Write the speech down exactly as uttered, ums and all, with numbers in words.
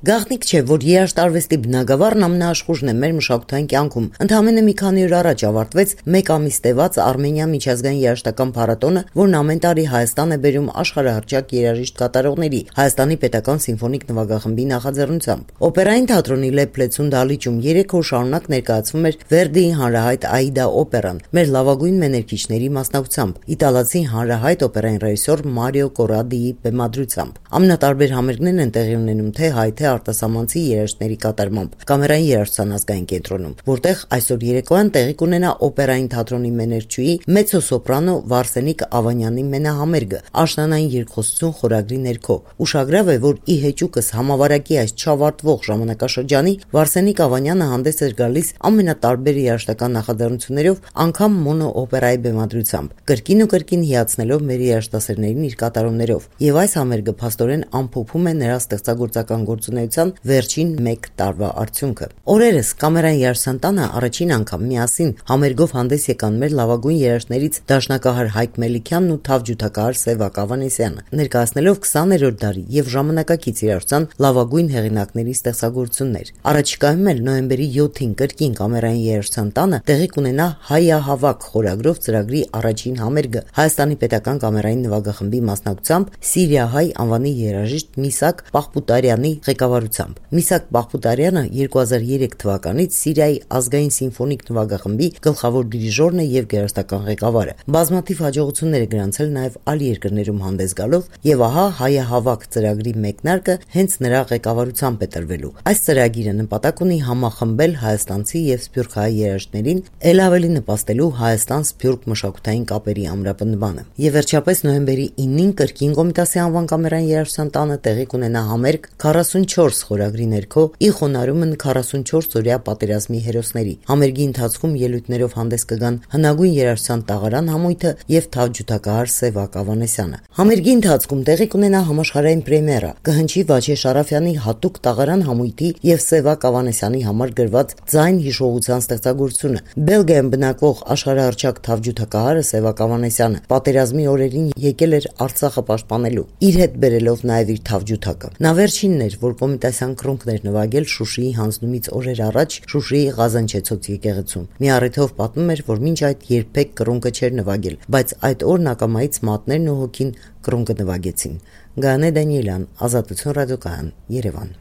Գաղտնիք չէ, որ երաժշտարվեստի բնագավառն ամենաաշխուժն է մեր մշակութային կյանքում։ Ընդամենը մի քանի օր առաջ ավարտվեց մեկ ամիս տևած Արմենիա միջազգային երաժշտական փառատոնը, որն ամեն տարի Հայաստան է բերում աշխարհահռչակ երաժիշտ կատարողների Հայաստանի պետական սիմֆոնիկ նվագախմբի նախաձեռնությամբ։ Օպերային թատրոնի Լեփլեցուն դահլիճում երեք օր շարունակ ներկայացվում էր Վերդիի հանրահայտ Աիդա օպերան, մեր լավագույն մեներկիչների մասնակցությամբ, իտալացի հանրահայտ օպերային ռեժիսոր Մարիո Կորադիի բեմադրությամբ։ Ամենատարբեր համերգներն են տեղի ունենում թե հայ թե արտասահմանցի երաժիշտների կատարմամբ Կամերային երաժշտության ազգային կենտրոնում, որտեղ այսօր երեկոյան տեղի կունենա օպերային թատրոնի մեներչուհի մեծոսոպրանո Վարսենիկ Ավանյանի մենահամերգը աշնանային երկխոսություն խորագրի ներքո։ Ուշագրավ է, որ ի հեճուկս համավարակի այս չավարտվող ժամանակաշրջանի Վարսենիկ Ավանյանը հանդես էր գալիս ամենատարբեր երաժշտական նախաձեռնություններով, անգամ մոնո օպերայի բեմադրությամբ, կրկին ու կրկին հիացնելով մեր երաժշտասերներին իր կատարումներով։ Եվ այս համերգը փաստորեն ամփոփում է նրա ստեղծագործական գործունեության վերջին մեկ տարվա արդյունքը։ Օրերս Կամերային երաժշտության տանը առաջին անգամ միասին համերգով հանդես եկան մեր լավագույն երաժիշտներից դաշնակահար Հայկ Մելիքյանն ու թավջութակահար Սևակ Ավանեսյանը, ներկայացնելով քսաներորդ դարի եւ ժամանակակից երաժշտության լավագույն հեղինակների ստեղծագործություններ։ Առաջիկայում էլ նոյեմբերի յոթին կրկին Կամերային երաժշտության տանը տեղի կունենա Հայահավաք խորագրով ծրագրի առաջին համերգը Հայաստանի պետական կամերային նվագախմբի մասնակցությամբ Սիրիահայ անվանի երաժիշտ Միսակ Պախպուտարյանի ղեկավարությամբ։ Միսակ Պախպուտարյանը երկու հազար երեք թվականից Սիրիայի ազգային սիմֆոնիկ նվագախմբի գլխավոր դիրիժորն է եւ գերաստական ղեկավարը։ Բազմաթիվ հաջողություններ է գրանցել նաեւ այլ երկրներում հանդես գալով, եւ ահա Հայահավաք ծրագրի մեկնարկը հենց նրա ղեկավարությամբ է տրվելու։ Այս ծրագիրը նպատակ ունի համախմբել հայաստանցի եւ սփյուռքահայ երաժիշտներին, ել ավելի նպաստելու Հայաստան-Սփյուռք մշակութային կապերի ամրապնդմանը։ Եվ վերջապես նոյեմբերի ինին կրկին Կոմիտասի անվան Կամերային երաժշտության տանը տեղի կունենա համերգ քառասունչորս խորագրի ներքո ի խոնարհումն քառասունչորսօրյա պատերազմի հերոսների։ Համերգի ընթացքում ելույթներով հանդես կգան հնագույն երաժշտության տաղարան համույթը եւ թավջութակահար Սևակ Ավանեսյանը։ Համերգի ընթացքում տեղի կունենա համաշխարհային պրեմիերա, կհնչի Վաչե Շարաֆյանի հատուկ տաղարան համույթի եւ Սևակ Ավանեսյանի համար գրված ձայն հիշողության ստեղծագործությունը։ Բելգիայում բնակվող աշխարհահռչակ թավջութակահարը Սևակ Ավանեսյանը պատերազմի օրերին եկել էր Արցախը պաշտպանելու, իր հետ բերելով նաեւ իր թավջութակը։ Նա վերջինն էր, որ կոմիտասյան կրունկներ նվագել Շուշիի հանձնումից օրեր առաջ Շուշիի Ղազանչեցոց եկեղեցում։ Մի առիթով պատմում էր, որ մինչ այդ երբեք կրունկը չէր նվագել, բայց այդ օրն ակամայից մատներն ու հոգին կրունկը նվագեցին։ Գայանե Դանիելյան, Ազատություն ռադիոկայան, Երևան։